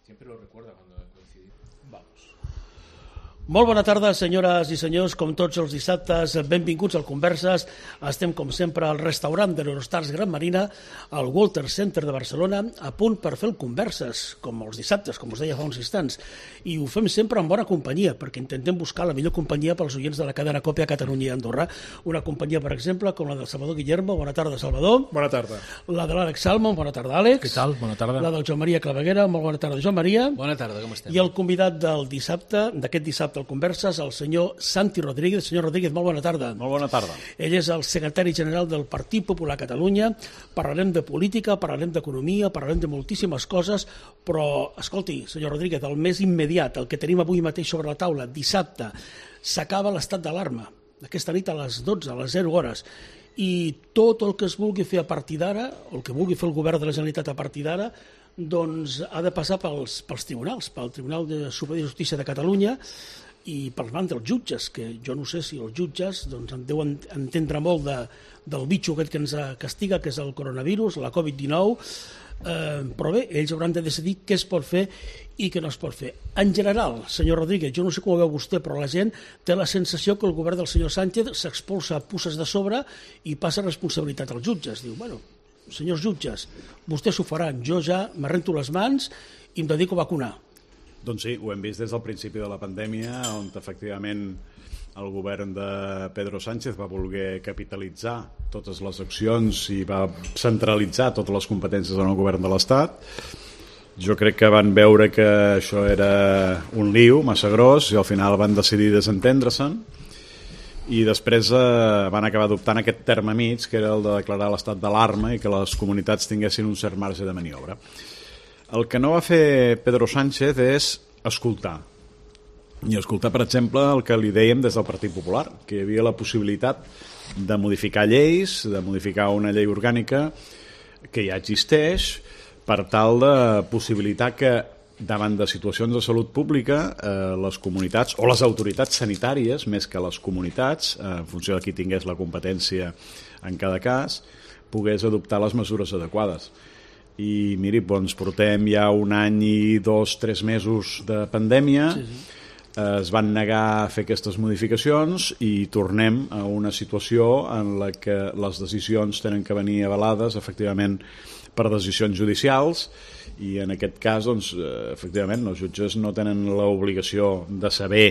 Siempre lo recuerda cuando coincidimos. Vamos. Molt bona tarda, senyores i senyors, com tots els dissabtes, benvinguts al Converses. Estem, com sempre, al restaurant de l'Eurostars Gran Marina, al Walter Center de Barcelona, a punt per fer el Converses, com els dissabtes, com us deia fa uns instants. I ho fem sempre en bona companyia, perquè intentem buscar la millor companyia pels oients de la cadena Còpia a Catalunya i Andorra. Una companyia, per exemple, com la del Salvador Guillermo. Bona tarda, Salvador. Bona tarda. La de l'Àlex Salmon. Bona tarda, Àlex. Què tal? Bona tarda. La del Joan Maria Claveguera. Molt bona tarda, Joan Maria. Bona tarda, com estem? I el convidat del dissabte, d'aquest dissabte al Converses, el senyor Santi Rodríguez. Senyor Rodríguez, molt bona tarda. Molt bona tarda. Ell és el secretari general del Partit Popular a Catalunya. Parlarem de política, parlarem d'economia, parlarem de moltíssimes coses, però, escolti, senyor Rodríguez, el més immediat, el que tenim avui mateix sobre la taula, dissabte, s'acaba l'estat d'alarma. Aquesta nit a les 12, a les 0 hores. I tot el que es vulgui fer a partir d'ara, el que vulgui fer el govern de la Generalitat a partir d'ara, doncs ha de passar pels tribunals, pel Tribunal Superior de Justícia de Catalunya, i per mans dels jutges, que jo no sé si els jutges doncs, en deuen entendre molt del bitxo aquest que ens castiga, que és el coronavirus, la Covid-19, però bé, ells hauran de decidir què es pot fer i què no es pot fer. En general, senyor Rodríguez, jo no sé com ho veu vostè, però la gent té la sensació que el govern del senyor Sánchez s'expulsa puces de sobre i passa responsabilitat als jutges. Diu, bueno, senyors jutges, vostès ho faran, jo ja m'arrento les mans i em dedico a vacunar. Doncs sí, ho hem vist des del principi de la pandèmia, on efectivament el govern de Pedro Sánchez va voler capitalitzar totes les accions i va centralitzar totes les competències en el govern de l'Estat. Jo crec que van veure que això era un lío massa gros i al final van decidir desentendre-se'n i després van acabar adoptant aquest terme mig, que era el de declarar l'estat d'alarma i que les comunitats tinguessin un cert marge de maniobra. El que no va fer Pedro Sánchez és escoltar. I escoltar, per exemple, el que li dèiem des del Partit Popular, que hi havia la possibilitat de modificar lleis, de modificar una llei orgànica que ja existeix, per tal de possibilitar que davant de situacions de salut pública les comunitats o les autoritats sanitàries, més que les comunitats, en funció de qui tingués la competència en cada cas, pogués adoptar les mesures adequades. I miri, doncs portem ja 1 any i 2-3 mesos de pandèmia, es van negar a fer aquestes modificacions i tornem a una situació en la que les decisions tenen que venir avalades efectivament per decisions judicials i en aquest cas, doncs, efectivament, els jutges no tenen l'obligació de saber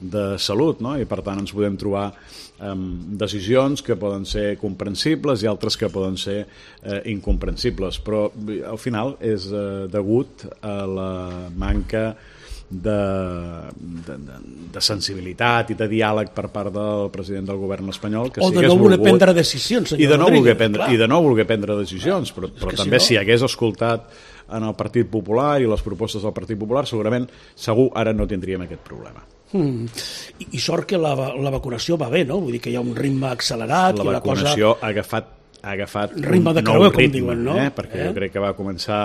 de salut, no? I per tant ens podem trobar decisions que poden ser comprensibles i altres que poden ser incomprensibles, però al final és degut a la manca de sensibilitat i de diàleg per part del president del govern espanyol, que o de no voler prendre decisions, senyor Rodríguez, i de no voler prendre decisions, però també si hagués escoltat en el Partit Popular i les propostes del Partit Popular, segur ara no tindríem aquest problema. I sort que la vacunació va bé, no? Vull dir que hi ha un ritme accelerat. La vacunació ha agafat ritme de creuer, com diuen, no? Perquè jo crec que va començar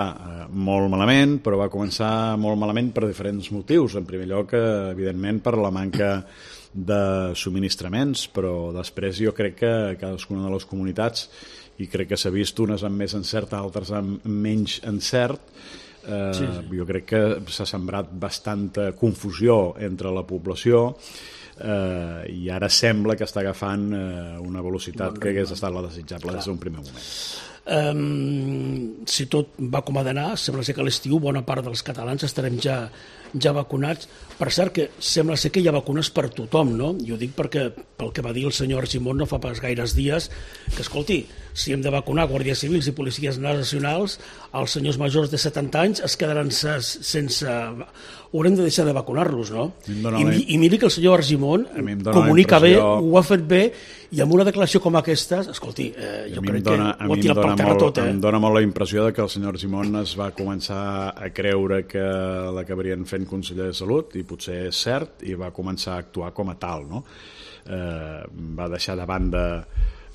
molt malament, però va començar molt malament per diferents motius. En primer lloc, evidentment, per la manca de subministraments, però després jo crec que cadascuna de les comunitats, i crec que s'ha vist unes amb més encert, altres amb menys encert, jo crec que s'ha sembrat bastanta confusió entre la població i ara sembla que està agafant una velocitat que hagués estat la desitjable des d'un primer moment. Si tot va com ha d'anar, sembla ser que a l'estiu bona part dels catalans estarem ja vacunats. Per cert, que sembla ser que hi ha vacunes per tothom, no? Jo dic perquè, pel que va dir el senyor Argimon no fa pas gaires dies, que escolti, si hem de vacunar guàrdies civils i policies nacionals, els senyors majors de 70 anys es quedaran sense... Haurem de deixar de vacunar-los, no? I miri que el senyor Argimon comunica bé, ho ha fet bé, i amb una declaració com aquesta, escolti, jo crec que ho ha tirat per terra tot. Em dóna molt la impressió que el senyor Argimon es va començar a creure que l'acabarien fent conseller de Salut, i potser és cert, i va començar a actuar com a tal, no? Va deixar de banda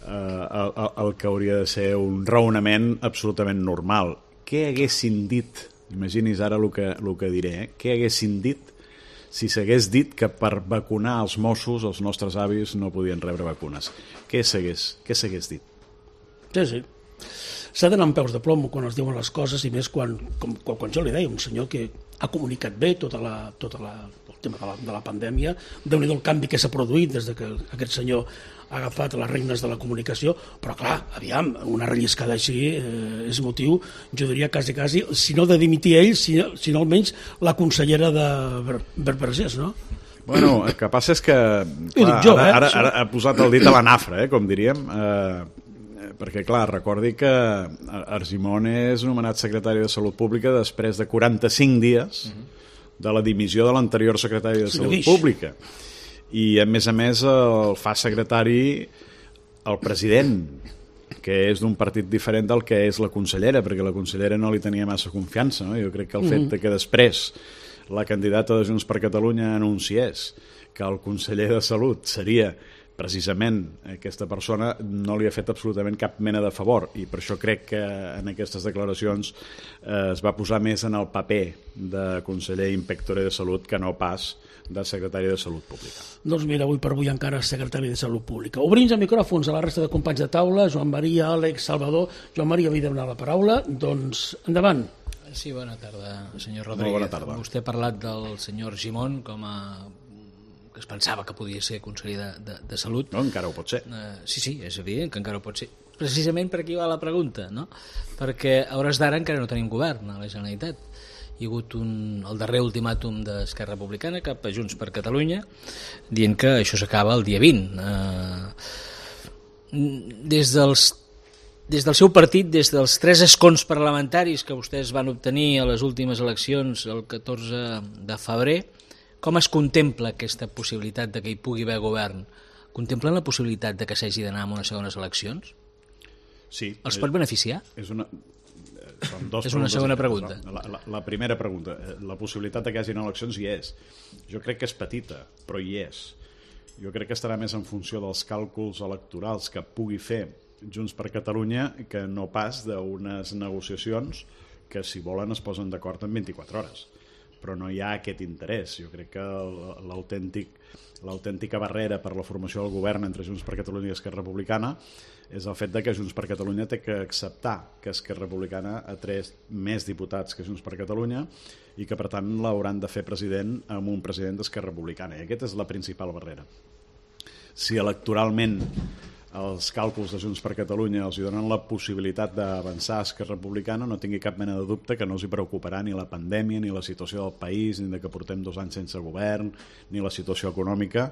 el que hauria de ser un raonament absolutament normal. Què haguessin dit, imagini's ara el que diré, què haguessin dit si s'hagués dit que per vacunar els Mossos els nostres avis no podien rebre vacunes? Què s'hagués dit? Sí. S'ha d'anar amb peus de plom quan es diuen les coses, i més quan jo li deia, un senyor que ha comunicat bé el tema de la pandèmia. Déu-n'hi-do el canvi que s'ha produït des que aquest senyor ha agafat les regnes de la comunicació, però clar, aviam, una relliscada així és motiu, jo diria quasi, si no de dimitir ell, sinó almenys la consellera de Vergés, no? Bueno, el que passa és que ara ha posat el dit a la nafra, com diríem, perquè clar, recordi que Argimon és nomenat secretari de Salut Pública després de 45 dies de la dimissió de l'anterior secretari de Salut Pública, i a més el fa secretari el president, que és d'un partit diferent del que és la consellera, perquè la consellera no li tenia massa confiança, no? Jo crec que el fet que després la candidata de Junts per Catalunya anunciés que el conseller de Salut seria precisament aquesta persona, no li ha fet absolutament cap mena de favor, i per això crec que en aquestes declaracions es va posar més en el paper de conseller inspector de Salut que no pas de secretari de Salut Pública. Doncs mira, avui per avui encara secretari de Salut Pública. Obrim els micròfons a la resta de companys de taula, Joan Maria, Àlex, Salvador. Joan Maria havia demanat la paraula, doncs endavant. Sí, bona tarda, senyor Rodríguez. Bona tarda. Vostè ha parlat del senyor Argimon com a que es pensava que podia ser conseller de Salut. No, encara ho pot ser. Sí, és evident que encara ho pot ser. Precisament per aquí va la pregunta, no? Perquè a hores d'ara encara no tenim govern a la Generalitat. Hi ha hagut el darrer ultimàtum d'Esquerra Republicana cap a Junts per Catalunya dient que això s'acaba el dia 20. Des del seu partit, des dels 3 escons parlamentaris que vostès van obtenir a les últimes eleccions el 14 de febrer, com es contempla aquesta possibilitat de que hi pugui haver govern? Contemplen la possibilitat de que s'hagi d'anar a unes segones eleccions? Sí. Els pot beneficiar? És una segona pregunta. La primera pregunta, la possibilitat de que hi hagi eleccions hi és. Jo crec que és petita, però hi és. Jo crec que estarà més en funció dels càlculs electorals que pugui fer Junts per Catalunya que no pas d'unes negociacions que, si volen, es posen d'acord en 24 hores. Però no hi ha aquest interès. Jo crec que l'autèntica barrera per la formació del govern entre Junts per Catalunya i Esquerra Republicana és el fet de que Junts per Catalunya té que acceptar que Esquerra Republicana ha tret més diputats que Junts per Catalunya i que, per tant, l'hauran de fer president amb un president d'Esquerra Republicana. I aquesta és la principal barrera. Si electoralment els càlculs de Junts per Catalunya els donen la possibilitat d'avançar a Esquerra Republicana, no tingui cap mena de dubte que no els hi preocuparà ni la pandèmia, ni la situació del país, ni que portem 2 anys sense govern, ni la situació econòmica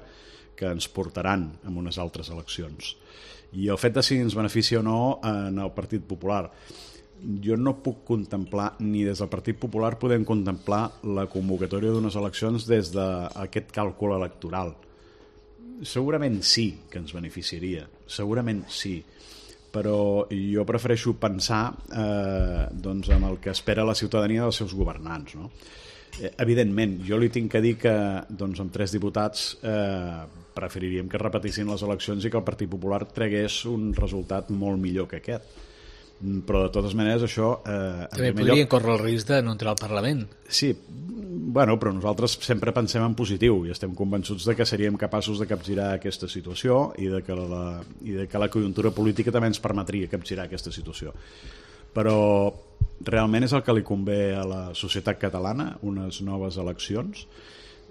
que ens portaran en unes altres eleccions. I el fet de si ens beneficia o no en el Partit Popular, jo no puc contemplar, ni des del Partit Popular podem contemplar la convocatòria d'unes eleccions des d'aquest càlcul electoral. Segurament sí que ens beneficiaria, segurament sí, però jo prefereixo pensar en el que espera la ciutadania dels seus governants, no? Evidentment, jo li tinc que dir que amb 3 diputats preferiríem que es repetissin les eleccions i que el Partit Popular tragués un resultat molt millor que aquest. Però de totes maneres això... També podrien córrer el risc de no entrar al Parlament. Sí, bueno, però nosaltres sempre pensem en positiu i estem convençuts de que seríem capaços de capgirar aquesta situació i de que la conjuntura política també ens permetria capgirar aquesta situació. Però realment és el que li convé a la societat catalana, unes noves eleccions.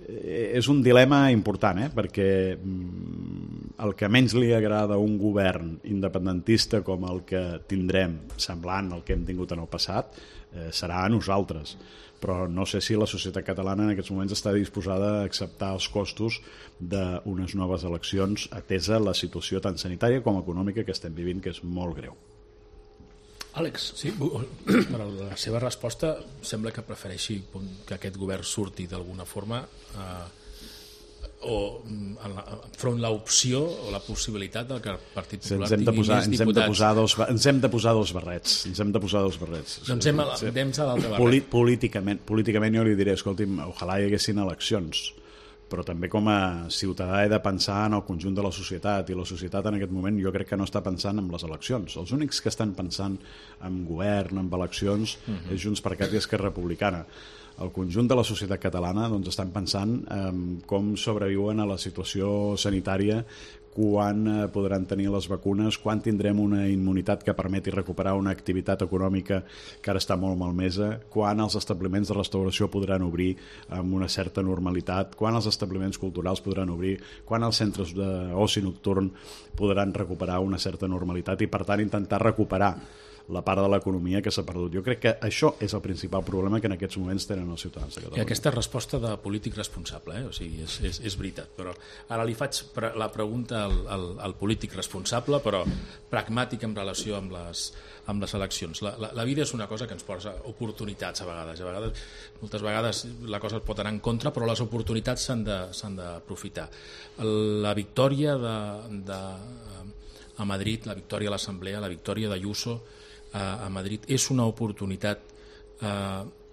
És un dilema important, perquè el que menys li agrada a un govern independentista com el que tindrem, semblant al que hem tingut en el passat, serà a nosaltres. Però no sé si la societat catalana en aquests moments està disposada a acceptar els costos d'unes noves eleccions atesa la situació tant sanitària com econòmica que estem vivint, que és molt greu. Àlex. Sí, per la seva resposta sembla que prefereixi que aquest govern surti d'alguna forma o enfront l'opció o la possibilitat que el Partit Popular tingui més diputats. Ens hem de posar dos barrets. Doncs anem a l'altre barret. Políticament jo li diré, escolti'm, ojalà hi haguessin eleccions, però també com a ciutadà he de pensar en el conjunt de la societat, i la societat en aquest moment jo crec que no està pensant en les eleccions. Els únics que estan pensant en govern, en eleccions, és Junts per Cat i Esquerra Republicana. el conjunt de la societat catalana doncs, estan pensant com sobreviuen a la situació sanitària, quan podran tenir les vacunes, quan tindrem una immunitat que permeti recuperar una activitat econòmica que ara està molt malmesa, quan els establiments de restauració podran obrir amb una certa normalitat, quan els establiments culturals podran obrir, quan els centres d'oci nocturn podran recuperar una certa normalitat i, per tant, intentar recuperar la part de l'economia que s'ha perdut. Jo crec que això és el principal problema que en aquests moments tenen els ciutadans de Catalunya. I aquesta resposta de polític responsable, o sigui, és veritat, però ara li faig la pregunta al polític responsable, però pragmàtic en relació amb les eleccions. La vida és una cosa que ens posa oportunitats a vegades. Moltes vegades la cosa es pot anar en contra, però les oportunitats s'han d'aprofitar. La victòria a Madrid, la victòria a l'Assemblea, la victòria d'Ayuso a Madrid és una oportunitat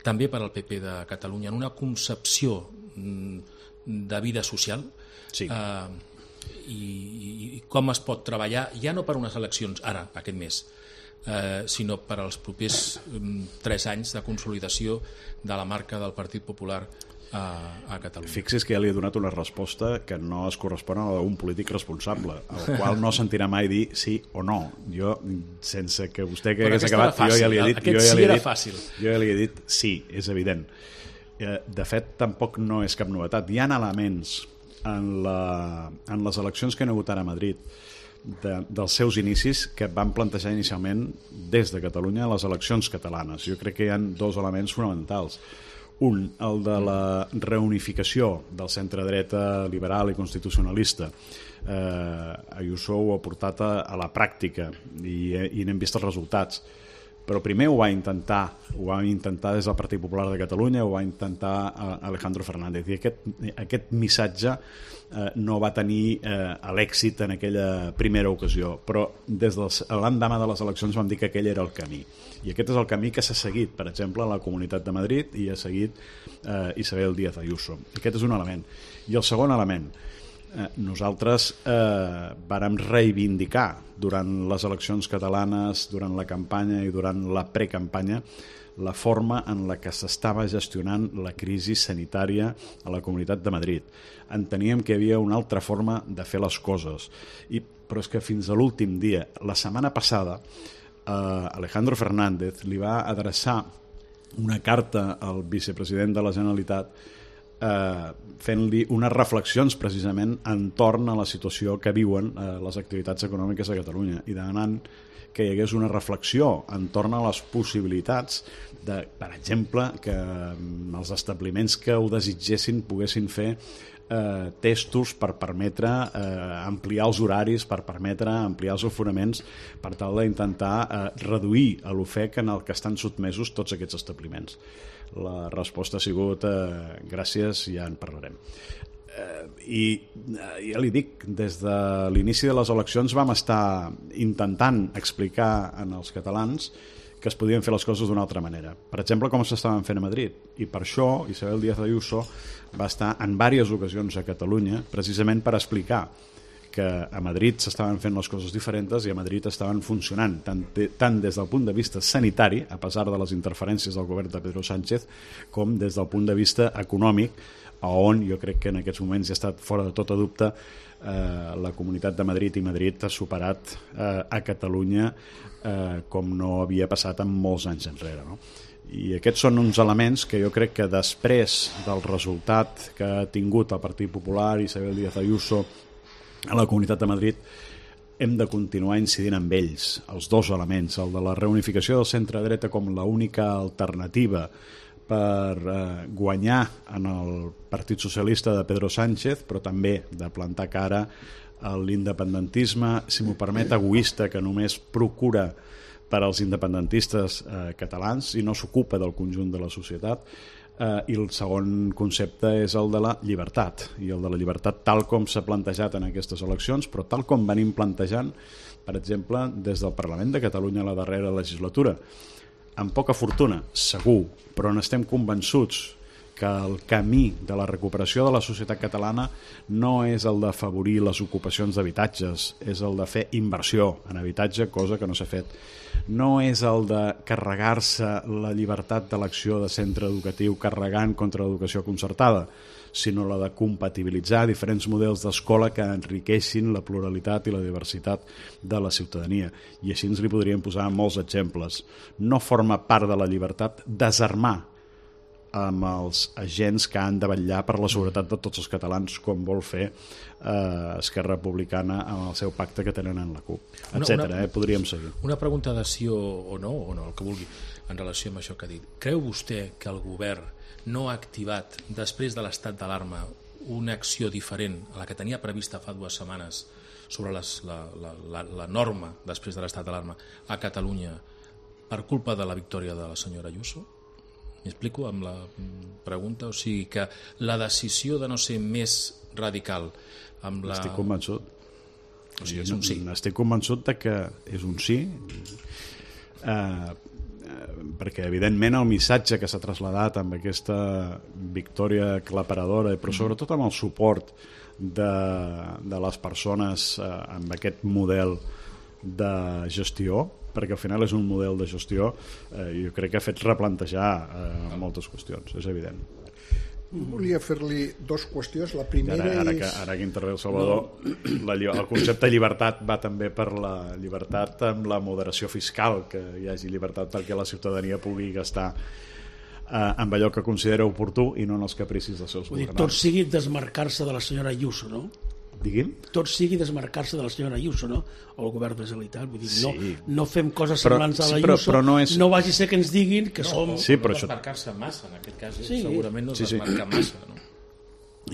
també per al PP de Catalunya en una concepció de vida social, sí. I com es pot treballar ja no per unes eleccions ara, aquest mes, sinó per als propers 3 anys de consolidació de la marca del Partit Popular a Catalunya. Fixi's que ja li he donat una resposta que no es correspon a un polític responsable, al qual no sentirà mai dir sí o no. Jo, sense que vostè que hagués acabat, jo ja li he dit, jo ja li he dit sí, és evident. De fet, tampoc no és cap novetat. Hi ha elements en les eleccions que han hagut ara a Madrid dels seus inicis que van plantejar inicialment des de Catalunya les eleccions catalanes. Jo crec que hi ha 2 elements fonamentals. Un, el de la reunificació del centre-dreta liberal i constitucionalista. Ayuso ho ha portat a la pràctica i n'hem vist els resultats. Però primer ho va intentar des del Partit Popular de Catalunya, ho va intentar Alejandro Fernández, i aquest missatge no va tenir l'èxit en aquella primera ocasió, però des de l'endemà de les eleccions vam dir que aquell era el camí, i aquest és el camí que s'ha seguit, per exemple, a la Comunitat de Madrid, i ha seguit Isabel Díaz Ayuso. Aquest és un element. I el segon element, nosaltres vàrem reivindicar durant les eleccions catalanes, durant la campanya i durant la precampanya, la forma en la que s'estava gestionant la crisi sanitària a la Comunitat de Madrid. Enteníem que hi havia una altra forma de fer les coses, però és que fins a l'últim dia, la setmana passada, Alejandro Fernández li va adreçar una carta al vicepresident de la Generalitat fent-li unes reflexions precisament entorn a la situació que viuen les activitats econòmiques a Catalunya i demanant que hi hagués una reflexió entorn a les possibilitats de, per exemple, que els establiments que ho desitgessin poguessin fer testos per permetre ampliar els horaris, per permetre ampliar els aforaments, per tal d'intentar reduir l'ofec en el que estan sotmesos tots aquests establiments. La resposta ha sigut gràcies, ja en parlarem. I ja li dic, des de l'inici de les eleccions vam estar intentant explicar als catalans que es podien fer les coses d'una altra manera. Per exemple, com s'estaven fent a Madrid. I per això Isabel Díaz Ayuso va estar en diverses ocasions a Catalunya precisament per explicar que a Madrid s'estaven fent les coses diferents i a Madrid estaven funcionant tant des del punt de vista sanitari, a pesar de les interferències del govern de Pedro Sánchez, com des del punt de vista econòmic, on jo crec que en aquests moments ja ha estat fora de tota dubte la Comunitat de Madrid i Madrid ha superat a Catalunya com no havia passat en molts anys enrere, no? I aquests són uns elements que jo crec que després del resultat que ha tingut el Partit Popular i Isabel Díaz Ayuso a la Comunitat de Madrid, hem de continuar incidint amb ells, els 2 elements, el de la reunificació del centre-dreta com l'única alternativa per guanyar en el Partit Socialista de Pedro Sánchez, però també de plantar cara a l'independentisme, si m'ho permet, egoista, que només procura per als independentistes catalans i no s'ocupa del conjunt de la societat. I el segon concepte és el de la llibertat, i el de la llibertat tal com s'ha plantejat en aquestes eleccions, però tal com venim plantejant, per exemple, des del Parlament de Catalunya a la darrera legislatura. Amb poca fortuna, segur, però n'estem convençuts que el camí de la recuperació de la societat catalana no és el d'afavorir les ocupacions d'habitatges, és el de fer inversió en habitatge, cosa que no s'ha fet. No és el de carregar-se la llibertat d'elecció de centre educatiu carregant contra l'educació concertada, sinó la de compatibilitzar diferents models d'escola que enriqueixin la pluralitat i la diversitat de la ciutadania. I així ens li podríem posar molts exemples. No forma part de la llibertat desarmar amb els agents que han de vetllar per la seguretat de tots els catalans, com vol fer Esquerra Republicana amb el seu pacte que tenen en la CUP, etc. Podríem seguir. Una pregunta de sí o no, el que vulgui, en relació amb això que ha dit. Creu vostè que el govern no ha activat, després de l'estat d'alarma, una acció diferent a la que tenia prevista fa 2 setmanes sobre la norma després de l'estat d'alarma a Catalunya per culpa de la victòria de la senyora Ayuso? M'explico amb la pregunta? O sigui que la decisió de no ser més radical amb la... Estic convençut. O sigui, és un sí. Estic convençut de que és un sí, perquè evidentment el missatge que s'ha traslladat amb aquesta victòria aclaparadora, però sobretot amb el suport de les persones amb aquest model de gestió, perquè al final és un model de gestió, jo crec que ha fet replantejar moltes qüestions, és evident. Volia fer-li 2 qüestions. La primera ara que intervé el Salvador, el concepte de llibertat va també per la llibertat amb la moderació fiscal, que hi hagi llibertat perquè la ciutadania pugui gastar amb allò que considera oportú i no en els capricis dels seus governants. Tot sigui desmarcar-se de la senyora Ayuso, no? Digui'm? Tot sigui desmarcar-se de la senyora Ayuso, no? O el govern de la Generalitat. Vull dir, sí. no fem coses semblants a la Ayuso, però no, és... no vagi a ser que ens diguin que som... Sí, però això... desmarcar-se massa, en aquest cas, sí. segurament no es desmarca massa, no?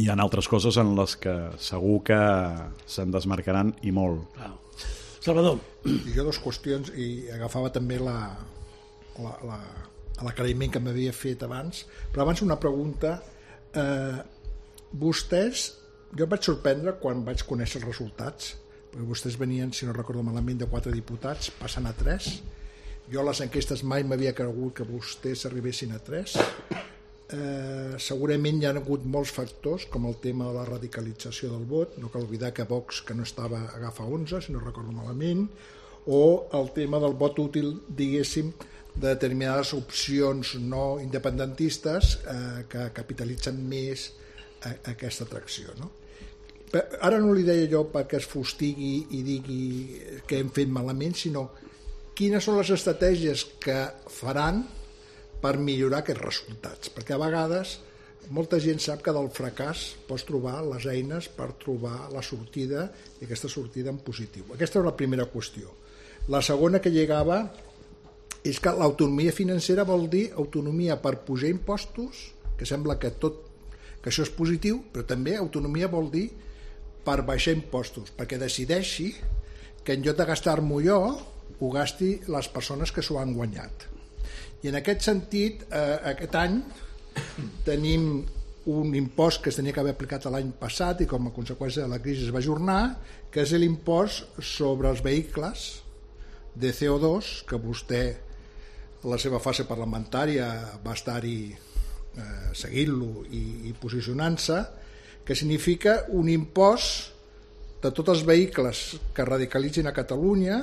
Hi ha altres coses en les que segur que se'n desmarcaran i molt. Clar. Salvador. Jo 2 qüestions, i agafava també l'aclariment que m'havia fet abans, però abans una pregunta. Vostès, jo em vaig sorprendre quan vaig conèixer els resultats, perquè vostès venien, si no recordo malament, de 4 diputats, passant a 3. Jo a les enquestes mai m'havia cregut que vostès arribessin a 3. Segurament hi ha hagut molts factors, com el tema de la radicalització del vot, no cal oblidar que Vox, que no estava, agafa 11, si no recordo malament, o el tema del vot útil, diguéssim, de determinades opcions no independentistes que capitalitzen més aquesta atracció, no? Ara no li deia jo perquè es fustigui i digui que hem fet malament, sinó quines són les estratègies que faran per millorar aquests resultats, perquè a vegades molta gent sap que del fracàs pots trobar les eines per trobar la sortida, i aquesta sortida en positiu. Aquesta és la primera qüestió. La segona que llegava és que l'autonomia financera vol dir autonomia per pujar impostos, que sembla que això és positiu, però també autonomia vol dir per baixar impostos, perquè decideixi que en lloc de gastar-m'ho jo, ho gasti les persones que s'ho han guanyat. I en aquest sentit, aquest any tenim un impost que es tenia que haver aplicat l'any passat i com a conseqüència de la crisi es va ajornar, que és l'impost sobre els vehicles de CO2, que vostè a la seva fase parlamentària va estar-hi seguint-lo i posicionant-se, que significa un impost de tots els vehicles que radicalitzin a Catalunya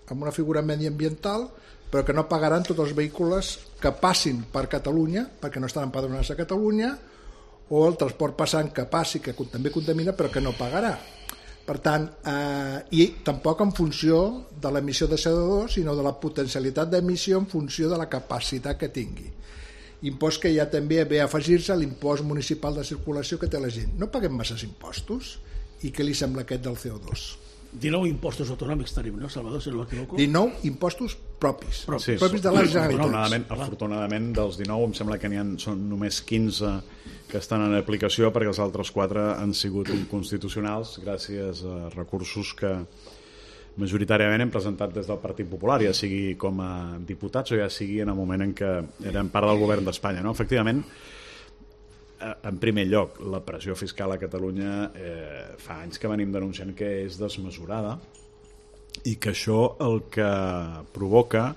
amb una figura mediambiental, però que no pagaran tots els vehicles que passin per Catalunya, perquè no estan empadronats a Catalunya, o el transport passant que passi, que també contamina, però que no pagarà. Per tant, i tampoc en funció de l'emissió de CO2, sinó de la potencialitat d'emissió en funció de la capacitat que tingui. Impost que ja també ve a afegir-se a l'impost municipal de circulació que té la gent. No paguem masses impostos? I què li sembla aquest del CO2? 19 impostos autonòmics tenim, no, Salvador, si no m'equivoco? 19 impostos propis, sí, propis de la Generalitat. Afortunadament, dels 19 em sembla que són només 15 que estan en aplicació, perquè els altres 4 han sigut inconstitucionals gràcies a recursos que majoritàriament hem presentat des del Partit Popular, ja sigui com a diputats o ja sigui en el moment en què eren part del govern d'Espanya, no? Efectivament, en primer lloc, la pressió fiscal a Catalunya fa anys que venim denunciant que és desmesurada i que això el que provoca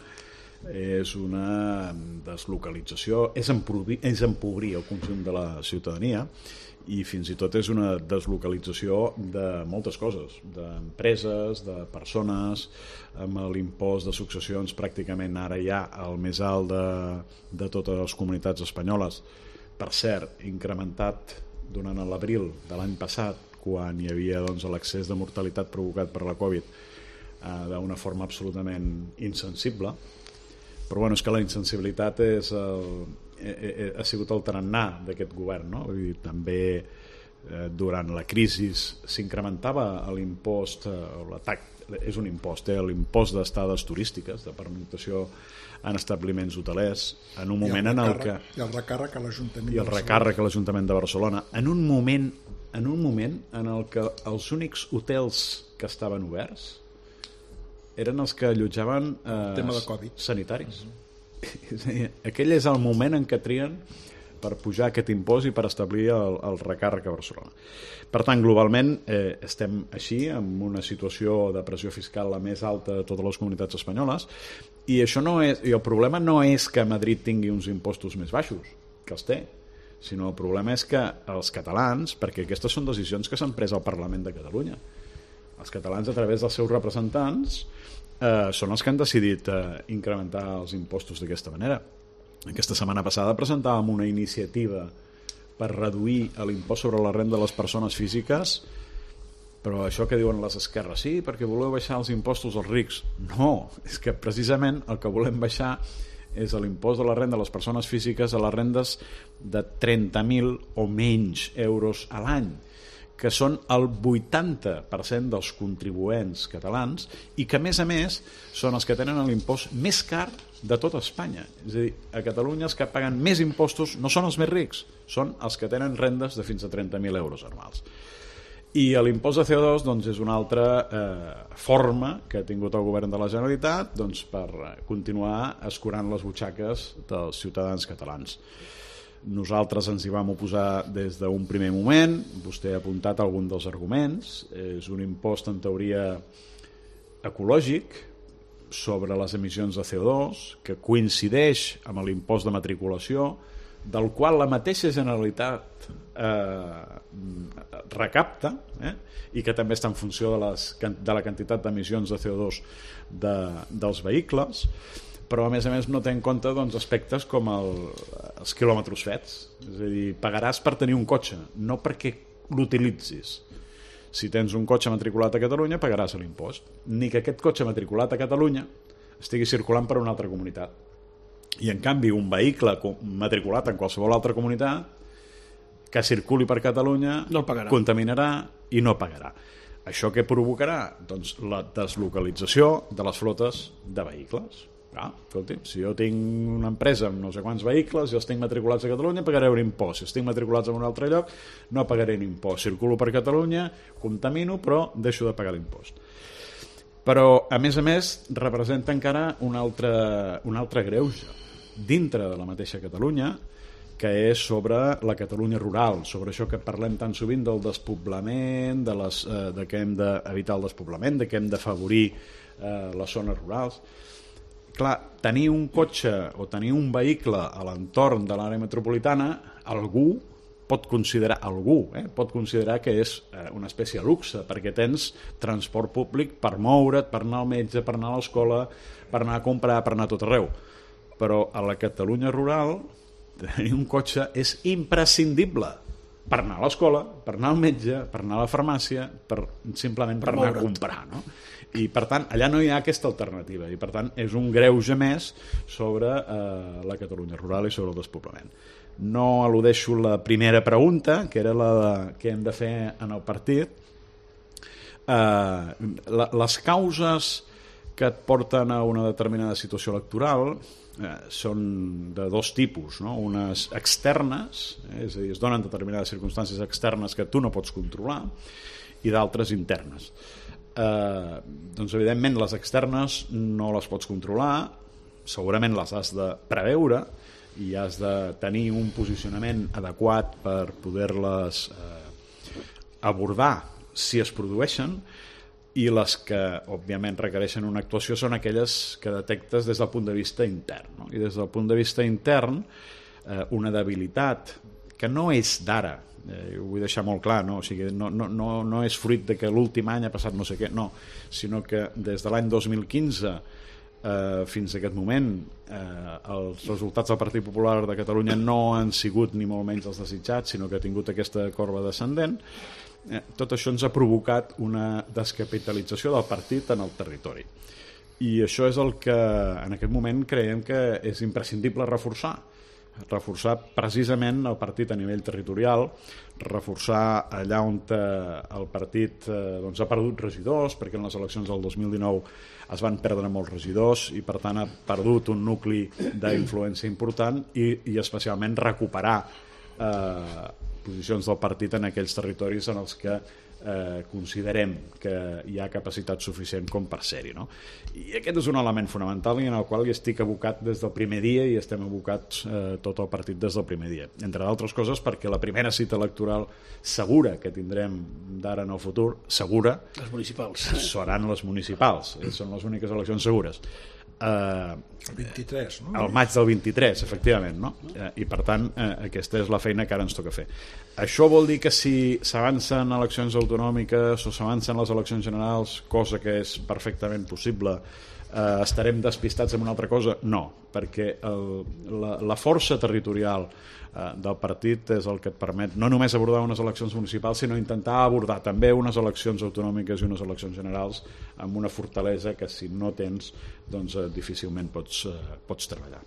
és una deslocalització, és empobrir el conjunt de la ciutadania i fins i tot és una deslocalització de moltes coses, d'empreses, de persones, amb l'impost de successions pràcticament ara ja el més alt de totes les comunitats espanyoles. Per cert, incrementat durant l'abril de l'any passat, quan hi havia l'excés de mortalitat provocat per la Covid, d'una forma absolutament insensible. Però bueno, és que la insensibilitat ha sigut el tarannà d'aquest govern, no? Vull dir, també durant la crisi s'incrementava l'impost, és un impost, l'impost d'estades turístiques, de pernoctació en establiments hotelers, en un moment en el que... I el recàrrec a l'Ajuntament I el recàrrec a l'Ajuntament de Barcelona, en un moment en el que els únics hotels que estaven oberts eren els que allotjaven tema de Covid sanitaris. Aquell és el moment en què trien per pujar aquest impost i per establir el recàrrec a Barcelona. Per tant, globalment estem així, amb una situació de pressió fiscal la més alta de totes les comunitats espanyoles, i el problema no és que Madrid tingui uns impostos més baixos, que els té, sinó el problema és que els catalans, perquè aquestes són decisions que s'han pres al Parlament de Catalunya, els catalans a través dels seus representants són els que han decidit incrementar els impostos d'aquesta manera. Aquesta setmana passada presentàvem una iniciativa per reduir l'impost sobre la renda de les persones físiques, però això que diuen les esquerres, sí, perquè voleu baixar els impostos als rics. No, és que precisament el que volem baixar és l'impost de la renda de les persones físiques a les rendes de 30.000 o menys euros a l'any, que són el 80% dels contribuents catalans i que, a més, són els que tenen l'impost més car de tota Espanya. És a dir, a Catalunya els que paguen més impostos no són els més rics, són els que tenen rendes de fins a 30.000 euros anuals. I l'impost de CO2 és una altra forma que ha tingut el govern de la Generalitat per continuar escurant les butxaques dels ciutadans catalans. Nosaltres ens hi vam oposar des d'un primer moment, vostè ha apuntat algun dels arguments, és un impost en teoria ecològic sobre les emissions de CO2 que coincideix amb l'impost de matriculació, del qual la mateixa Generalitat recapta i que també està en funció de la quantitat d'emissions de CO2 dels vehicles, però a més no té en compte aspectes com els quilòmetres fets. És a dir, pagaràs per tenir un cotxe, no perquè l'utilitzis. Si tens un cotxe matriculat a Catalunya, pagaràs l'impost. Ni que aquest cotxe matriculat a Catalunya estigui circulant per una altra comunitat. I en canvi, un vehicle matriculat en qualsevol altra comunitat que circuli per Catalunya no contaminarà i no pagarà. Això què provocarà? Doncs la deslocalització de les flotes de vehicles. Escolti, si jo tinc una empresa amb no sé quants vehicles i els tinc matriculats a Catalunya, pagaré un impost. Si els tinc matriculats en un altre lloc, no pagaré un impost. Circulo per Catalunya, contamino, però deixo de pagar l'impost. Però, a més, representa encara un altre greuge dintre de la mateixa Catalunya, que és sobre la Catalunya rural, sobre això que parlem tan sovint del despoblament, de que hem d'evitar el despoblament, de que hem d'afavorir les zones rurals. Clar, tenir un cotxe o tenir un vehicle a l'entorn de l'àrea metropolitana, algú pot considerar que és una espècie de luxe, perquè tens transport públic per moure't, per anar al metge, per anar a l'escola, per anar a comprar, per anar a tot arreu. Però a la Catalunya rural tenir un cotxe és imprescindible per anar a l'escola, per anar al metge, per anar a la farmàcia, simplement per anar a comprar, no? I per tant allà no hi ha aquesta alternativa i per tant és un greuge més sobre la Catalunya rural i sobre el despoblament. No al·ludeixo la primera pregunta, que era la de què hem de fer en el partit. Les causes que et porten a una determinada situació electoral són de dos tipus, no? Unes externes, és a dir, es donen determinades circumstàncies externes que tu no pots controlar, i d'altres internes. Doncs evidentment les externes no les pots controlar, segurament les has de preveure i has de tenir un posicionament adequat per poder-les abordar si es produeixen, i les que, òbviament, requereixen una actuació són aquelles que detectes des del punt de vista intern. No? I des del punt de vista intern, una debilitat que no és d'ara, ho vull deixar molt clar, no? O sigui, no és fruit de que l'últim any ha passat no sé què, no, sinó que des de l'any 2015 fins a aquest moment els resultats del Partit Popular de Catalunya no han sigut ni molt menys els desitjats, sinó que ha tingut aquesta corba descendent. Tot això ens ha provocat una descapitalització del partit en el territori, i això és el que en aquest moment creiem que és imprescindible reforçar precisament el partit a nivell territorial, reforçar allà on el partit ha perdut regidors, perquè en les eleccions del 2019 es van perdre molts regidors i per tant ha perdut un nucli d'influència important, i especialment recuperar posicions del partit en aquells territoris en els que considerem que hi ha capacitat suficient com per ser-hi, no? I aquest és un element fonamental i en el qual hi estic abocat des del primer dia, i estem abocats tot el partit des del primer dia, entre d'altres coses perquè la primera cita electoral segura que tindrem d'ara en el futur, segura, les municipals, seran les municipals, són les úniques eleccions segures. El 23, no? El maig del 23, efectivament, no? I per tant aquesta és la feina que ara ens toca fer. Això vol dir que si s'avancen eleccions autonòmiques o s'avancen les eleccions generals, cosa que és perfectament possible, estarem despistats amb una altra cosa? No, perquè la força territorial del partit és el que et permet no només abordar unes eleccions municipals, sinó intentar abordar també unes eleccions autonòmiques i unes eleccions generals amb una fortalesa que si no tens doncs difícilment pots treballar.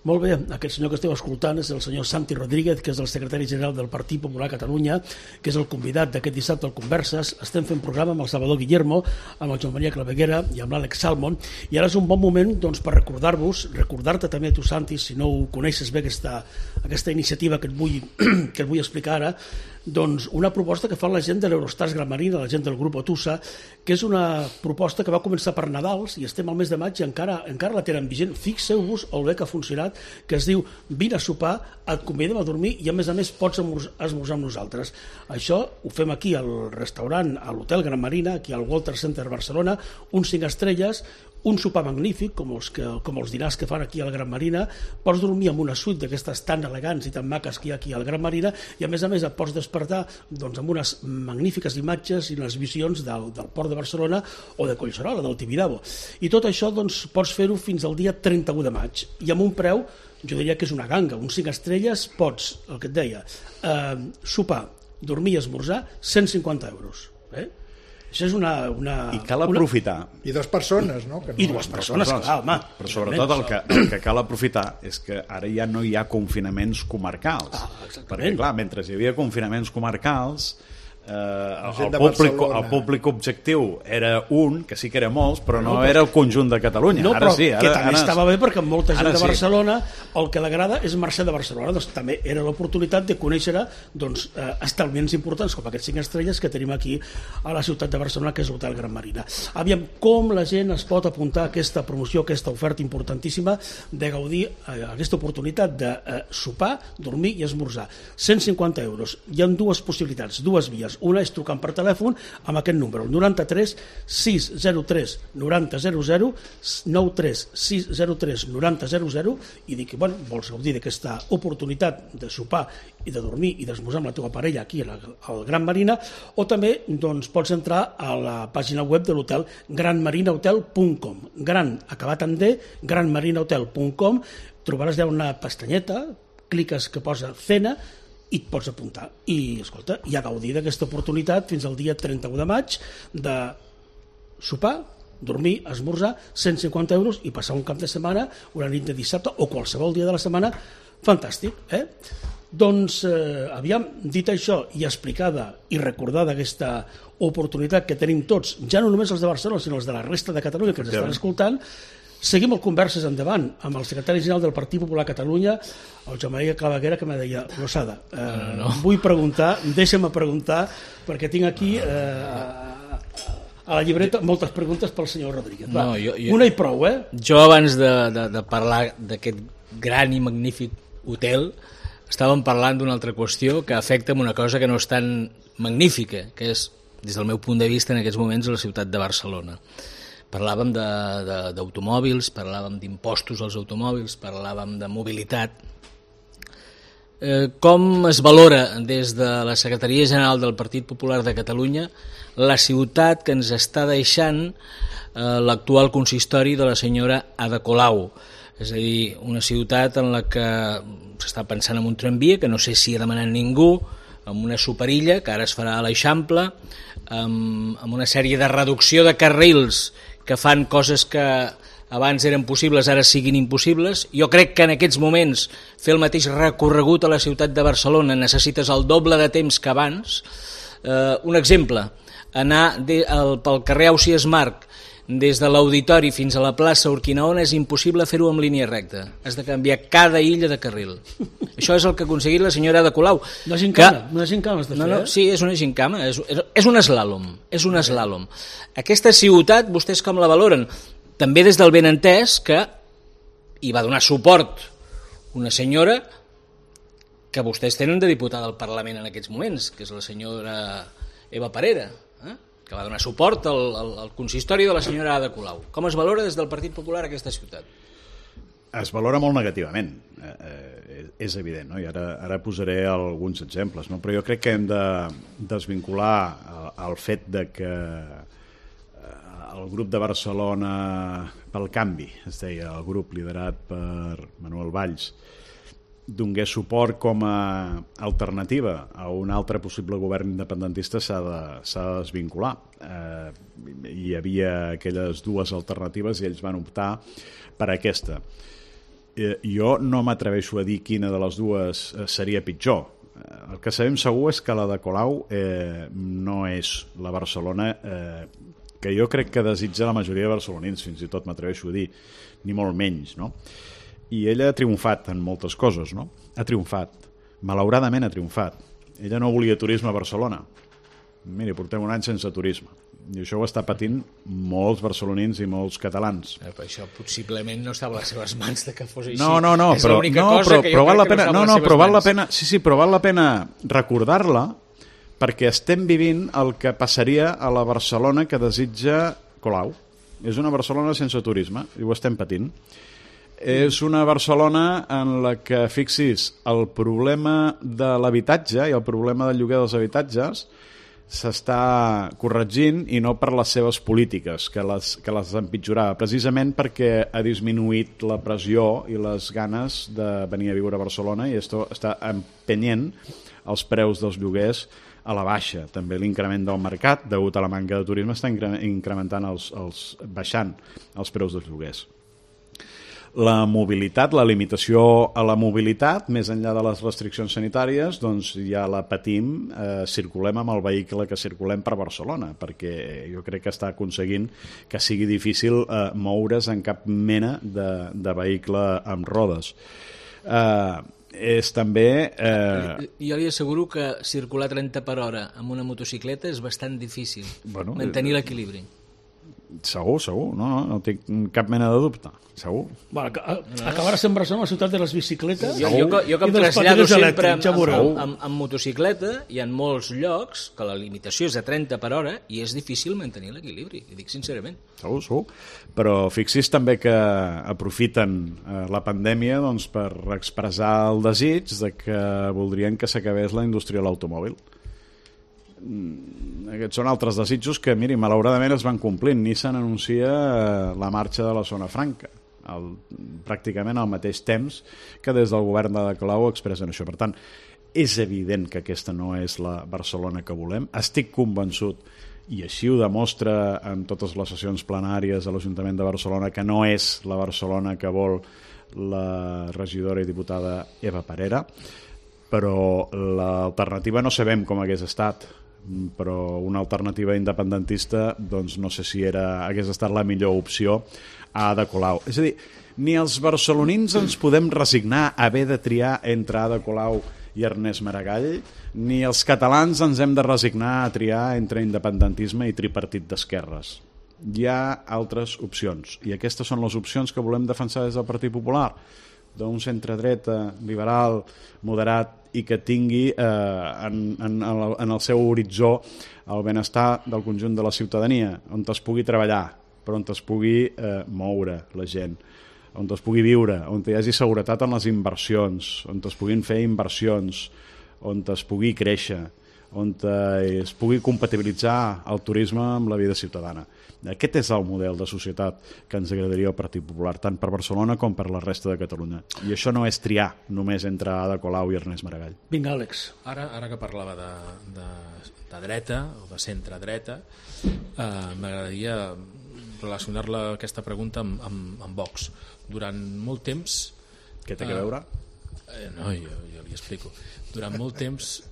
Molt bé, aquest senyor que esteu escoltant és el senyor Santi Rodríguez, que és el secretari general del Partit Popular Catalunya, que és el convidat d'aquest dissabte al Converses. Estem fent programa amb el Salvador Guillermo, amb el Joan Maria Claveguera i amb l'Àlex Salmon, i ara és un bon moment doncs, per recordar-te també tu, Santi, si no ho coneixes bé, aquesta iniciativa que et vull explicar ara, doncs una proposta que fa la gent de l'Eurostars Gran Marina, la gent del grup Otusa, que és una proposta que va començar per Nadals i estem al mes de maig i encara la tenen vigent. Fixeu-vos el bé que ha funcionat, que es diu vine a sopar, et convidem a dormir i a més pots esmorzar amb nosaltres. Això ho fem aquí al restaurant, a l'Hotel Gran Marina, aquí al Walter Center Barcelona, uns 5 estrelles, un sopar magnífic, com els dinars que fan aquí al Gran Marina. Pots dormir en una suite d'aquestes tan elegants i tan maques que hi ha aquí al Gran Marina, i a més et pots despertar doncs, amb unes magnífiques imatges i les visions del Port de Barcelona o de Collserola, del Tibidabo. I tot això doncs, pots fer-ho fins al dia 31 de maig, i amb un preu, jo diria que és una ganga, uns 5 estrelles, pots, el que et deia, sopar, dormir i esmorzar, 150 euros. Això és una... I cal aprofitar. I 2 persones, no? I 2 persones, clar, home. Però sobretot el que cal aprofitar és que ara ja no hi ha confinaments comarcals. Perquè, clar, mentre hi havia confinaments comarcals, el públic objectiu era un, que sí que era molts, però no era el conjunt de Catalunya. No, ara però sí, que també estava bé, perquè molta gent de Barcelona el que l'agrada és marxar de Barcelona, doncs també era l'oportunitat de conèixer establiments importants com aquests 5 estrelles que tenim aquí a la ciutat de Barcelona, que és l'Hotel Gran Marina. Aviam com la gent es pot apuntar a aquesta promoció, a aquesta oferta importantíssima de gaudir aquesta oportunitat de sopar, dormir i esmorzar. 150 euros. Hi ha 2 possibilitats, 2 vies. Una és trucant per telèfon amb aquest número, el 93 603 9000, 93 603 9000, i dir que vols gaudir d'aquesta oportunitat de sopar i de dormir i d'esmorzar amb la teva parella aquí al Gran Marina, o també pots entrar a la pàgina web de l'hotel granmarinahotel.com, gran acabat en D, granmarinahotel.com, trobaràs allà una pestanyeta, cliques que posa cena i et pots apuntar. I, escolta, i a gaudir d'aquesta oportunitat fins al dia 31 de maig de sopar, dormir, esmorzar, 150 euros i passar un cap de setmana, una nit de dissabte o qualsevol dia de la setmana, fantàstic, Doncs, aviam, dit això i explicada i recordada aquesta oportunitat que tenim tots, ja no només els de Barcelona, sinó els de la resta de Catalunya que ens estan escoltant, seguim el Converses endavant amb el secretari general del Partit Popular Catalunya, el Joan Maria Claveguera, que m'ha deia, Rosada, vull preguntar, deixa'm preguntar, perquè tinc aquí a la llibreta moltes preguntes pel senyor Rodríguez. Va, una i prou, Jo abans de parlar d'aquest gran i magnífic hotel, estàvem parlant d'una altra qüestió que afecta una cosa que no és tan magnífica, que és des del meu punt de vista, en aquests moments a la ciutat de Barcelona. Parlàvem d'automòbils, parlàvem d'impostos als automòbils, parlàvem de mobilitat. Com es valora des de la Secretaria General del Partit Popular de Catalunya la ciutat que ens està deixant l'actual consistori de la senyora Ada Colau? És a dir, una ciutat en la que s'està pensant en un tramvia, que no sé si ha demanat ningú, amb una superilla, que ara es farà a l'Eixample, amb una sèrie de reducció de carrils que fan coses que abans eren possibles, ara siguin impossibles. Jo crec que en aquests moments fer el mateix recorregut a la ciutat de Barcelona necessites el doble de temps que abans. Un exemple, anar pel carrer Ausiàs Marc des de l'Auditori fins a la plaça Urquinaona és impossible fer-ho en línia recta. Has de canviar cada illa de carril. Això és el que ha aconseguit la senyora Ada Colau. Una gincama has de fer, no, sí, és una gincama, és un eslàlom. És un eslàlom. Aquesta ciutat, vostès com la valoren? També des del benentès que hi va donar suport una senyora que vostès tenen de diputada al Parlament en aquests moments, que és la senyora Eva Parera, que va donar suport al consistori de la senyora Ada Colau. Com es valora des del Partit Popular aquesta ciutat? Es valora molt negativament, és evident, no? I ara posaré alguns exemples, no? Però jo crec que hem de desvincular el fet de que el grup de Barcelona pel Canvi, es deia, el grup liderat per Manuel Valls, donés suport com a alternativa a un altre possible govern independentista s'ha de desvincular. Hi havia aquelles dues alternatives i ells van optar per aquesta. Jo no m'atreveixo a dir quina de les dues seria pitjor. El que sabem segur és que la de Colau no és la Barcelona que jo crec que desitja la majoria de barcelonins, fins i tot m'atreveixo a dir, ni molt menys, no? I ella ha triomfat en moltes coses, no? Ha triomfat. Malauradament ha triomfat. Ella no volia turisme a Barcelona. Miri, portem un any sense turisme. I això ho està patint molts barcelonins i molts catalans. Però això possiblement no estava a les seves mans de que fos així. No, és l'única cosa que jo crec que no estava a les seves mans. Sí, però val la pena recordar-la perquè estem vivint el que passaria a la Barcelona que desitja Colau. És una Barcelona sense turisme, i ho estem patint. És una Barcelona en la que, fixis, el problema de l'habitatge i el problema del lloguer dels habitatges s'està corregint i no per les seves polítiques, que les empitjorava, precisament perquè ha disminuït la pressió i les ganes de venir a viure a Barcelona i això està empenyent els preus dels lloguers a la baixa. També l'increment del mercat, degut a la manca de turisme, està incrementant baixant els preus dels lloguers. La mobilitat, la limitació a la mobilitat, més enllà de les restriccions sanitàries, doncs ja la patim, circulem amb el vehicle que circulem per Barcelona, perquè jo crec que està aconseguint que sigui difícil moure's en cap mena de vehicle amb rodes. És també... Jo li asseguro que circular 30 per hora amb una motocicleta és bastant difícil, mantenir l'equilibri. Segur, no tinc cap mena de dubte, segur. Acabarà sent Barcelona la ciutat de les bicicletes jo que em trasllado sempre amb motocicleta i en molts llocs que la limitació és de 30 per hora i és difícil mantenir l'equilibri, ho dic sincerament. Segur, però fixis també que aprofiten la pandèmia doncs, per expressar el desig de que voldrien que s'acabés la indústria de l'automòbil. Aquests són altres desitjos que, miri, malauradament es van complint. Nissan anuncia la marxa de la zona franca pràcticament al mateix temps que des del govern de Colau expressen això. Per tant, és evident que aquesta no és la Barcelona que volem. Estic convençut, i així ho demostra en totes les sessions plenàries de l'Ajuntament de Barcelona, que no és la Barcelona que vol la regidora i diputada Eva Parera, però l'alternativa no sabem com hagués estat, però una alternativa independentista doncs no sé si hagués estat la millor opció a Ada Colau. És a dir, ni els barcelonins ens podem resignar a haver de triar entre Ada Colau i Ernest Maragall, ni els catalans ens hem de resignar a triar entre independentisme i tripartit d'esquerres. Hi ha altres opcions, i aquestes són les opcions que volem defensar des del Partit Popular, d'un centre-dreta, liberal, moderat i que tingui en el seu horitzó el benestar del conjunt de la ciutadania, on es pugui treballar, però on es pugui moure la gent, on es pugui viure, on hi hagi seguretat en les inversions, on es puguin fer inversions, on es pugui créixer, on es pugui compatibilitzar el turisme amb la vida ciutadana. Aquest és el model de societat que ens agradaria al Partit Popular, tant per Barcelona com per la resta de Catalunya. I això no és triar només entre Ada Colau i Ernest Maragall. Vinga, Àlex. Ara que parlava de dreta o de centre-dreta, m'agradaria relacionar-la aquesta pregunta amb Vox. Durant molt temps... Què té a veure? No, jo li explico. Durant molt temps,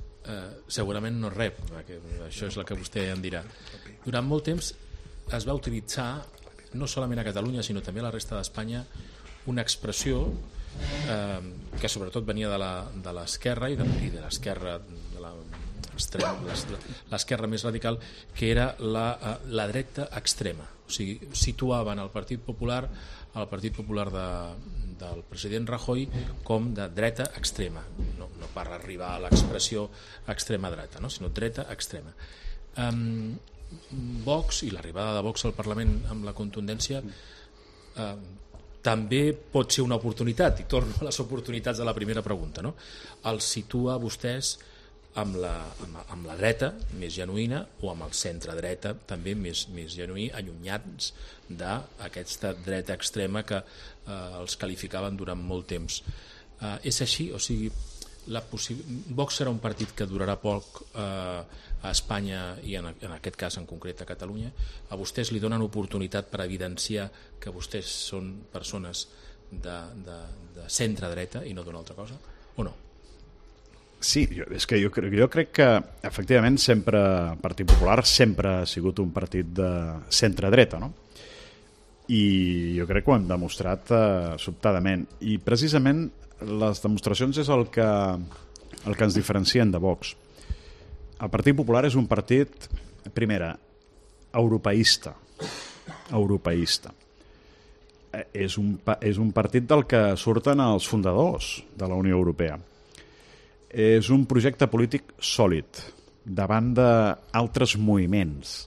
segurament no rep, perquè això és el que vostè em dirà. Durant molt temps es va utilitzar, no solament a Catalunya, sinó també a la resta d'Espanya, una expressió que sobretot venia de l'esquerra i de l'esquerra l'esquerra més radical, que era la dreta extrema. O sigui, situaven el Partit Popular del president Rajoy com de dreta extrema, no per arribar a l'expressió extrema dreta, no? Sinó dreta extrema. Vox i l'arribada de Vox al Parlament amb la contundència també pot ser una oportunitat, i torno a les oportunitats de la primera pregunta, no? Els situa vostès amb la dreta més genuïna o amb el centre-dreta també més genuí, allunyats d'aquesta dreta extrema que els qualificaven durant molt temps. És així? O sigui, Vox serà un partit que durarà poc a Espanya i en aquest cas en concret a Catalunya. A vostès li donen oportunitat per evidenciar que vostès són persones de centre-dreta i no d'una altra cosa, o no? Sí, és que jo crec que efectivament el Partit Popular sempre ha sigut un partit de centre-dreta, no? I jo crec que ho hem demostrat sobtadament, i precisament les demostracions és el que ens diferencien de Vox. El Partit Popular és un partit, primera, europeista. És un partit del que surten els fundadors de la Unió Europea. És un projecte polític sòlid davant d'altres moviments.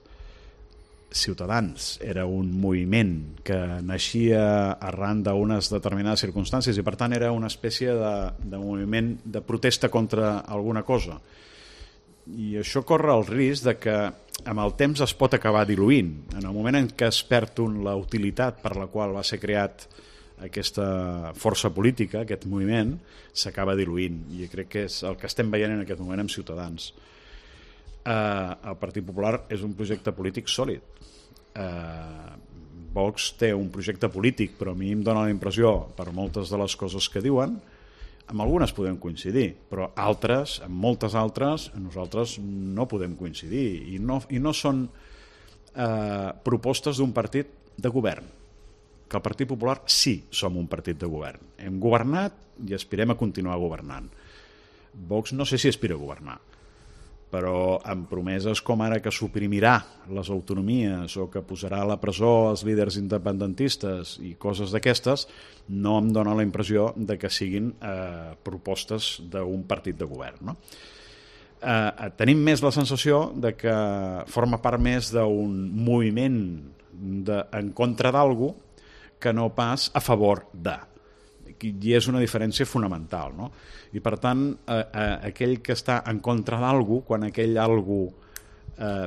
Ciutadans era un moviment que naixia arran d'unes determinades circumstàncies i per tant era una espècie de moviment de protesta contra alguna cosa. I això corre el risc de que amb el temps es pot acabar diluint. En el moment en què es perd la utilitat per la qual va ser creat aquesta força política, aquest moviment, s'acaba diluint, i crec que és el que estem veient en aquest moment amb Ciutadans. El Partit Popular és un projecte polític sòlid. Vox té un projecte polític, però a mi em dóna la impressió, per moltes de les coses que diuen, amb algunes podem coincidir, però altres, amb moltes altres, nosaltres no podem coincidir, i no són propostes d'un partit de govern. Que el Partit Popular sí som un partit de govern. Hem governat i aspirem a continuar governant. Vox no sé si aspira a governar, però amb promeses com ara que suprimirà les autonomies o que posarà a la presó els líders independentistes i coses d'aquestes, no em dóna la impressió de que siguin propostes d'un partit de govern, no? Tenim més la sensació de que forma part més d'un moviment en contra d'algú que no pas a favor de. I és una diferència fonamental, no? I per tant, aquell que està en contra d'algú, quan aquell algú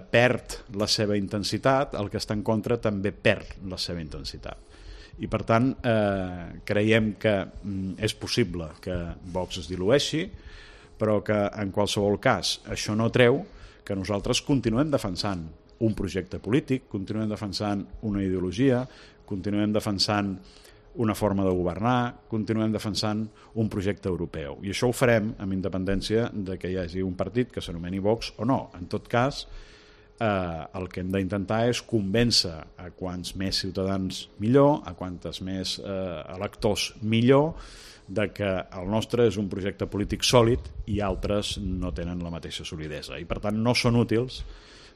perd la seva intensitat, el que està en contra també perd la seva intensitat. I per tant, creiem que és possible que Vox es dilueixi, però que en qualsevol cas això no treu que nosaltres continuem defensant un projecte polític, continuem defensant una ideologia, continuem defensant una forma de governar, continuem defensant un projecte europeu. I això ho farem amb independència de que hi hagi un partit que s'anomeni Vox o no. En tot cas, el que hem d'intentar és convèncer a quants més ciutadans millor, a quantes més electors millor, de que el nostre és un projecte polític sòlid i altres no tenen la mateixa solidesa. I per tant no són útils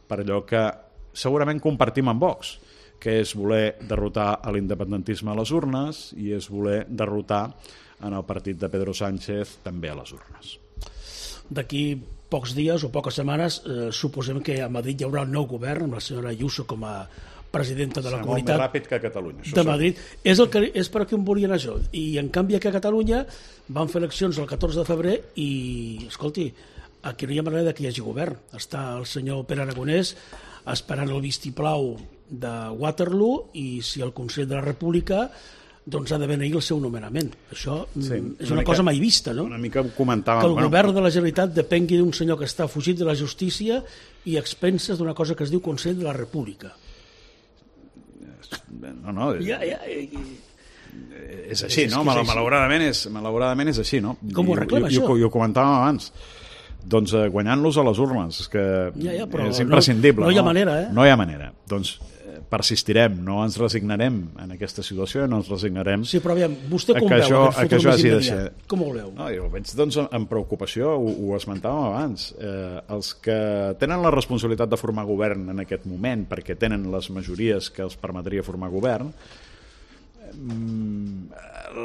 per allò que segurament compartim amb Vox, que és voler derrotar a l'independentisme a les urnes i és voler derrotar en el partit de Pedro Sánchez també a les urnes. D'aquí pocs dies o poques setmanes suposem que a Madrid hi haurà un nou govern amb la senyora Ayuso com a presidenta de la comunitat. Molt més ràpid que a Catalunya. De Madrid. És per aquí on volien això. I en canvi aquí a Catalunya van fer eleccions el 14 de febrer i, escolti, aquí no hi ha manera que hi hagi govern. Està el senyor Pere Aragonès esperant el vistiplau de Waterloo i si el Consell de la República doncs ha de beneir el seu nomenament. Això és una cosa mai vista, no? Una mica ho comentàvem. Que el govern de la Generalitat depengui d'un senyor que està fugit de la justícia i a expenses d'una cosa que es diu Consell de la República. No, és així, no? Malauradament és així, no? Com ho arreglem, això? I ho comentàvem abans. Doncs guanyant-los a les urnes, és que és imprescindible. No hi ha manera, No hi ha manera. Doncs persistirem, no ens resignarem en aquesta situació, no ens resignarem. Sí, però aviam, vostè com veu aquest futur més immediat? Com ho veu? No, jo ho veig doncs amb preocupació, ho esmentàvem abans. Els que tenen la responsabilitat de formar govern en aquest moment, perquè tenen les majories que els permetria formar govern,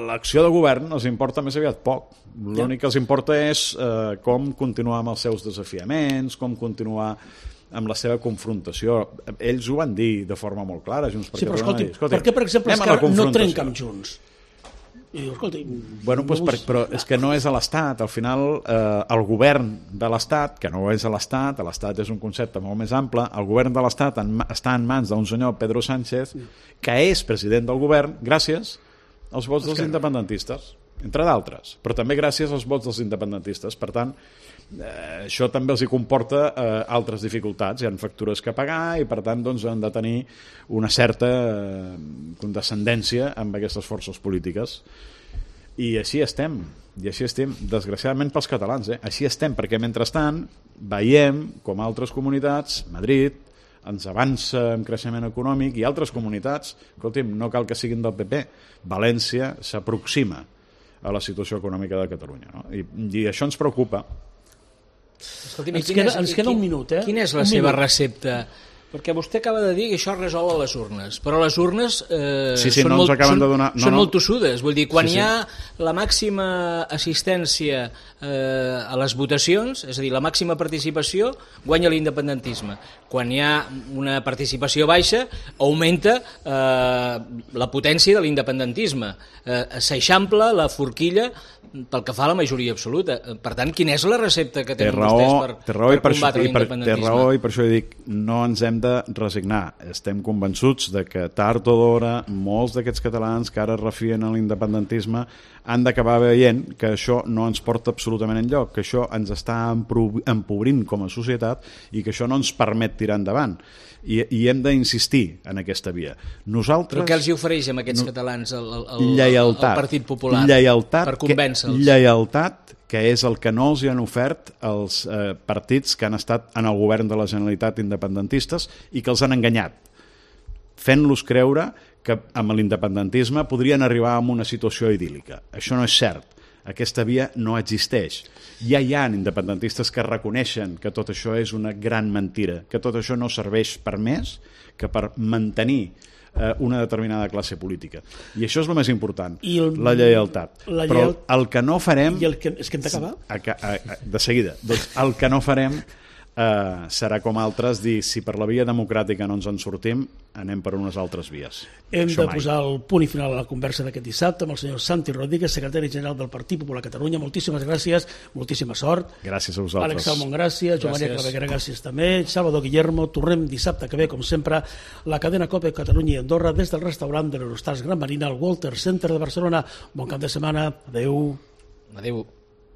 l'acció de govern els importa més aviat poc. L'únic que els importa és com continuar amb els seus desafiaments, com continuar amb la seva confrontació. Ells ho van dir de forma molt clara. Junts per però escolti, per què, per exemple, Esquerra no trenca amb Junts? I diu, escolti... Bueno, però és que no és a l'Estat. Al final, el govern de l'Estat, que no és a l'Estat és un concepte molt més ample, el govern de l'Estat està en mans d'un senyor, Pedro Sánchez, que és president del govern gràcies als vots dels independentistes, entre d'altres, però també gràcies als vots dels independentistes. Per tant, això també els hi comporta altres dificultats, hi ha factures que pagar i per tant doncs, han de tenir una certa condescendència amb aquestes forces polítiques i així estem, desgraciadament pels catalans, així estem, perquè mentrestant veiem com altres comunitats, Madrid ens avança en creixement econòmic i altres comunitats, escolti'm, no cal que siguin del PP, València s'aproxima a la situació econòmica de Catalunya, no? I això ens preocupa. Escolti'm, ens queda un minut, Quina és la seva recepta? Perquè vostè acaba de dir que això es resol a les urnes, però les urnes són molt tossudes. Vull dir, quan hi ha la màxima assistència a les votacions, és a dir, la màxima participació, guanya l'independentisme. Quan hi ha una participació baixa, augmenta la potència de l'independentisme. S'eixampla la forquilla pel que fa a la majoria absoluta. Per tant, quina és la recepta que tenen vostès per combatre l'independentisme? Té raó i per això dic, no ens hem de resignar. Estem convençuts de que tard o d'hora molts d'aquests catalans que ara es refien a l'independentisme han d'acabar veient que això no ens porta absolutament enlloc, que això ens està empobrint com a societat i que això no ens permet tirar endavant. I hem d'insistir en aquesta via. Nosaltres... Però què els hi ofereix amb aquests catalans el Partit Popular per convèncer-los? Lleialtat, que és el que no els hi han ofert els partits que han estat en el govern de la Generalitat independentistes i que els han enganyat, fent-los creure que amb l'independentisme podrien arribar a una situació idíl·lica. Això no és cert. Aquesta via no existeix. Ja hi ha independentistes que reconeixen que tot això és una gran mentira, que tot això no serveix per més que per mantenir una determinada classe política. I això és el més important, la lleialtat. Però el que no farem... És que hem d'acabar? De seguida. Doncs el que no farem serà com altres dir si per la via democràtica no ens en sortim, anem per unes altres vies. Hem de posar el punt i final a la conversa d'aquest dissabte amb el senyor Santi Rodríguez, secretari general del Partit Popular Catalunya. Moltíssimes gràcies, moltíssima sort. Gràcies a vosaltres. Àlex Salmon, gràcies. Joan Maria Claveguera, gràcies també. Salvador Guillermo, tornem dissabte que ve, com sempre, la cadena COPE Catalunya i Andorra des del restaurant de l'Eurostars Gran Marina al Walter Center de Barcelona. Bon cap de setmana. Adéu. Adéu.